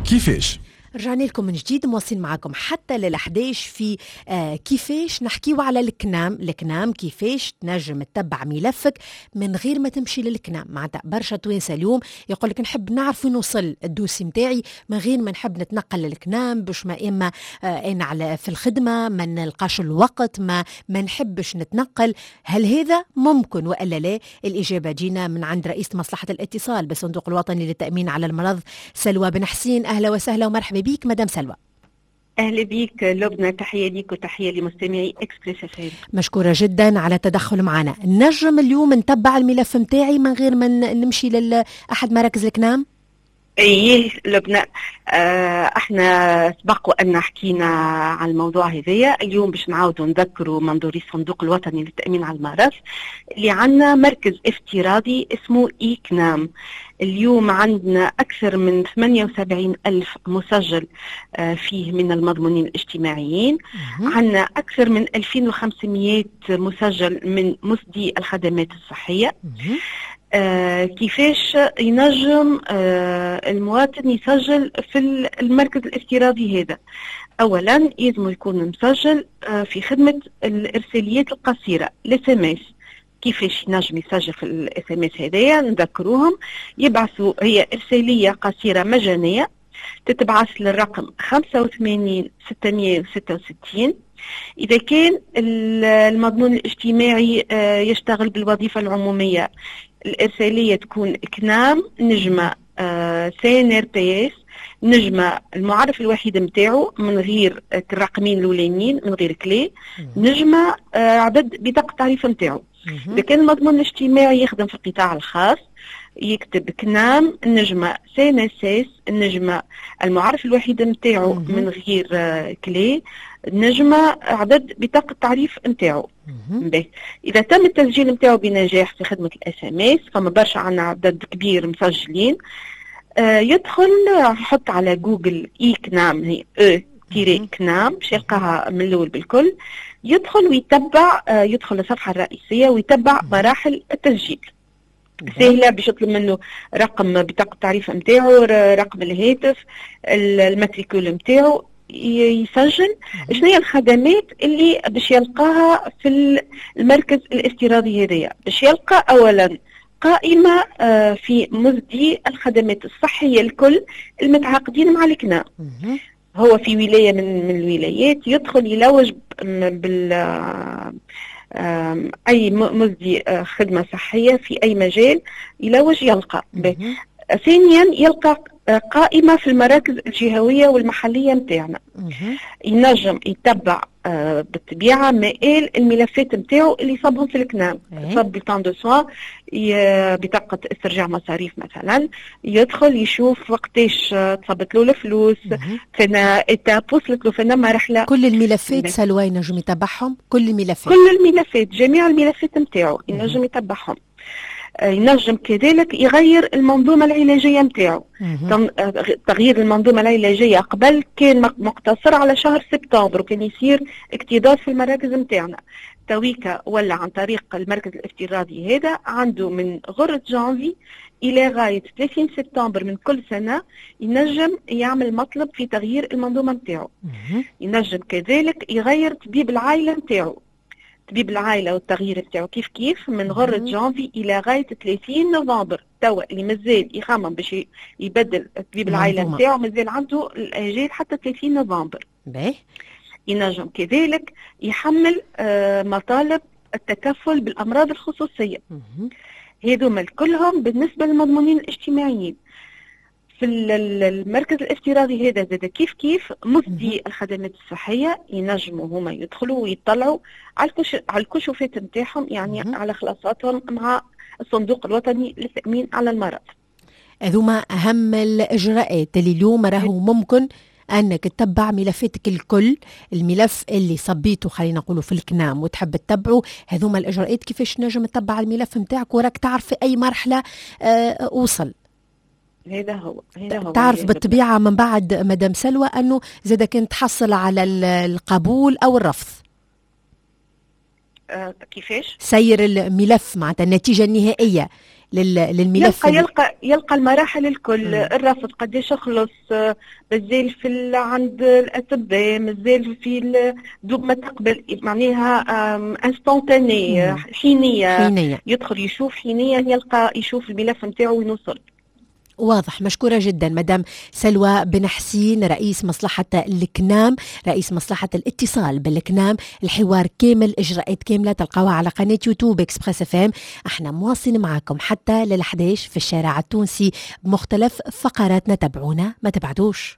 كيفاش. رجعنا لكم من جديد، مواصلين معكم حتى لل11 في كيفاش نحكيو على الكنام. الكنام كيفاش تنجم تتبع ملفك من غير ما تمشي للكنام. معناتها برشا توانسة اليوم يقول لك نحب نعرف وين وصل ال dossier نتاعي من غير ما نحب نتنقل للكنام، باش ما اما انا على في الخدمة ما نلقاش الوقت، ما نحبش نتنقل. هل هذا ممكن والا لا؟ الاجابة جينا من عند رئيس مصلحة الاتصال بالصندوق الوطني للتامين على المرض سلوى بن حسين. اهلا وسهلا ومرحبا بيك مدام سلوى. اهلا بيك لبنى، تحية ليك وتحية لمستمعي Express FM. مشكورة جدا على التدخل معنا. نجم اليوم نتبع الملف نتاعي من غير ما نمشي لاحد مراكز الكنام؟ ايه لبنى، احنا سبق وان حكينا على الموضوع هذايا. اليوم باش نعاودوا نذكروا منظوري الصندوق الوطني للتامين على المرض اللي عندنا مركز افتراضي اسمه e-CNAM. اليوم عندنا أكثر من 78 ألف مسجل فيه من المضمونين الاجتماعيين. عندنا أكثر من 2500 مسجل من مسدي الخدمات الصحية. كيفاش ينجم المواطن يسجل في المركز الافتراضي هذا؟ أولا يلزم يكون مسجل في خدمة الإرساليات القصيرة ال SMS. كيفاش ينجم يسجل في ال SMS هذايا؟ نذكروهم يبعثوا، هي ارسالية قصيرة مجانية تتبعث للرقم 85 666. اذا كان المضمون الاجتماعي يشتغل بالوظيفة العمومية، الارسالية تكون كنام نجمه CNRPS نجمه المعرف الوحيد نتاعو من غير الرقمين الاولانيين، من غير clé، نجمه عدد بطاقة التعريف نتاعو. اذا كان المضمون الاجتماعي يخدم في القطاع الخاص، يكتب كنام نجمة CNSS النجمة المعرف الوحيد نتاعو من غير clé نجمة عدد بطاقة التعريف نتاعو. إذا تم التسجيل نتاعو بنجاح في خدمة ال SMS، فما برشا عندنا عدد كبير مسجلين، يدخل يحط على جوجل e-CNAM، هي e tiret CNAM، باش يلقاها من الاول بالكل. يدخل ويتبع، يدخل للصفحه الرئيسية ويتبع مراحل التسجيل. سهله، باش يطلب منه رقم بطاقة التعريف نتاعو، رقم الهاتف، ال matricule نتاعو، يسجل. شنو هي الخدمات اللي باش يلقاها في المركز الافتراضي هذايا؟ باش يلقى اولا قائمة في مسدي الخدمات الصحية الكل المتعاقدين مع الكنام. هو في ولاية من الولايات، يدخل يلوج بال أي مسدي خدمة صحية في أي مجال، يلوج يلقى. ثانيا يلقى قائمة في المراكز الجهوية والمحلية نتاعنا. ينجم يتبع بالطبيعة مآل الملفات نتاعو اللي صابهم في الكنام. صاب bulletin de soins، بطاقة استرجاع مصاريف مثلا، يدخل يشوف وقتاش تصبت له الفلوس، فينا étape وصلت له، فينا مرحلة. كل الملفات سلوى ينجم يتبعهم؟ كل الملفات؟ كل الملفات، جميع الملفات نتاعو ينجم يتبعهم. ينجم كذلك يغير المنظومة العلاجية نتاعو. تغيير المنظومة العلاجية قبل كان مقتصر على شهر سبتمبر وكان يصير اكتظاظ في المراكز نتاعنا. تويكا ولا عن طريق المركز الافتراضي هذا عنده من غرة جانفي إلى غاية 30 سبتمبر من كل سنة ينجم يعمل مطلب في تغيير المنظومة نتاعو. ينجم كذلك يغير طبيب العائلة نتاعو. طبيب العائلة والتغيير بتاعه كيف كيف من غرة جانفي إلى غاية 30 نوفمبر. توا اللي مازال يخمم باش يبدل طبيب العائلة نتاعو مازال عنده الأجال حتى 30 نوفمبر. باهي. ينجم كذلك يحمل مطالب التكفل بالأمراض الخصوصية. هذوما كلهم بالنسبة للمضمونين الاجتماعيين. في المركز الافتراضي هذا زاد كيف كيف مسدي الخدمات الصحية ينجموا هما يدخلوا ويطلعوا على الكشوفات نتاعهم، يعني على خلاصاتهم مع الصندوق الوطني للتأمين على المرض. هذوما أهم الإجراءات اللي اليوم راهو ممكن أنك تتبع ملفاتك الكل، الملف اللي صبيته خلينا نقولوا في الكنام وتحب تتبعه، هذوما الإجراءات كيفاش نجم تتبع الملف نتاعك وراك تعرف في أي مرحلة وصل. هذا هو، هذا هو. تعرف بالطبيعة من بعد مدام سلوى أنه زاد كان تحصل على القبول أو الرفض. كيفاش؟ سير الملف معناتها النتيجة النهائية للملف. يلقى المراحل الكل. الرفض قداش خلص، مازال في عند الاطباء، مازال في دوب ما تقبل، معناها instantané، حينيه. حينية. يدخل يشوف حينيه، يلقى يشوف الملف نتاعو وين وصل. واضح. مشكورة جدا مدام سلوى بن حسين، رئيس مصلحة الكنام، رئيس مصلحة الاتصال بالكنام. الحوار كامل، إجراءات كاملة تلقاوها على قناة يوتيوب Express FM. احنا مواصلين معكم حتى لل11 في الشارع التونسي بمختلف فقراتنا، تابعونا ما تبعدوش.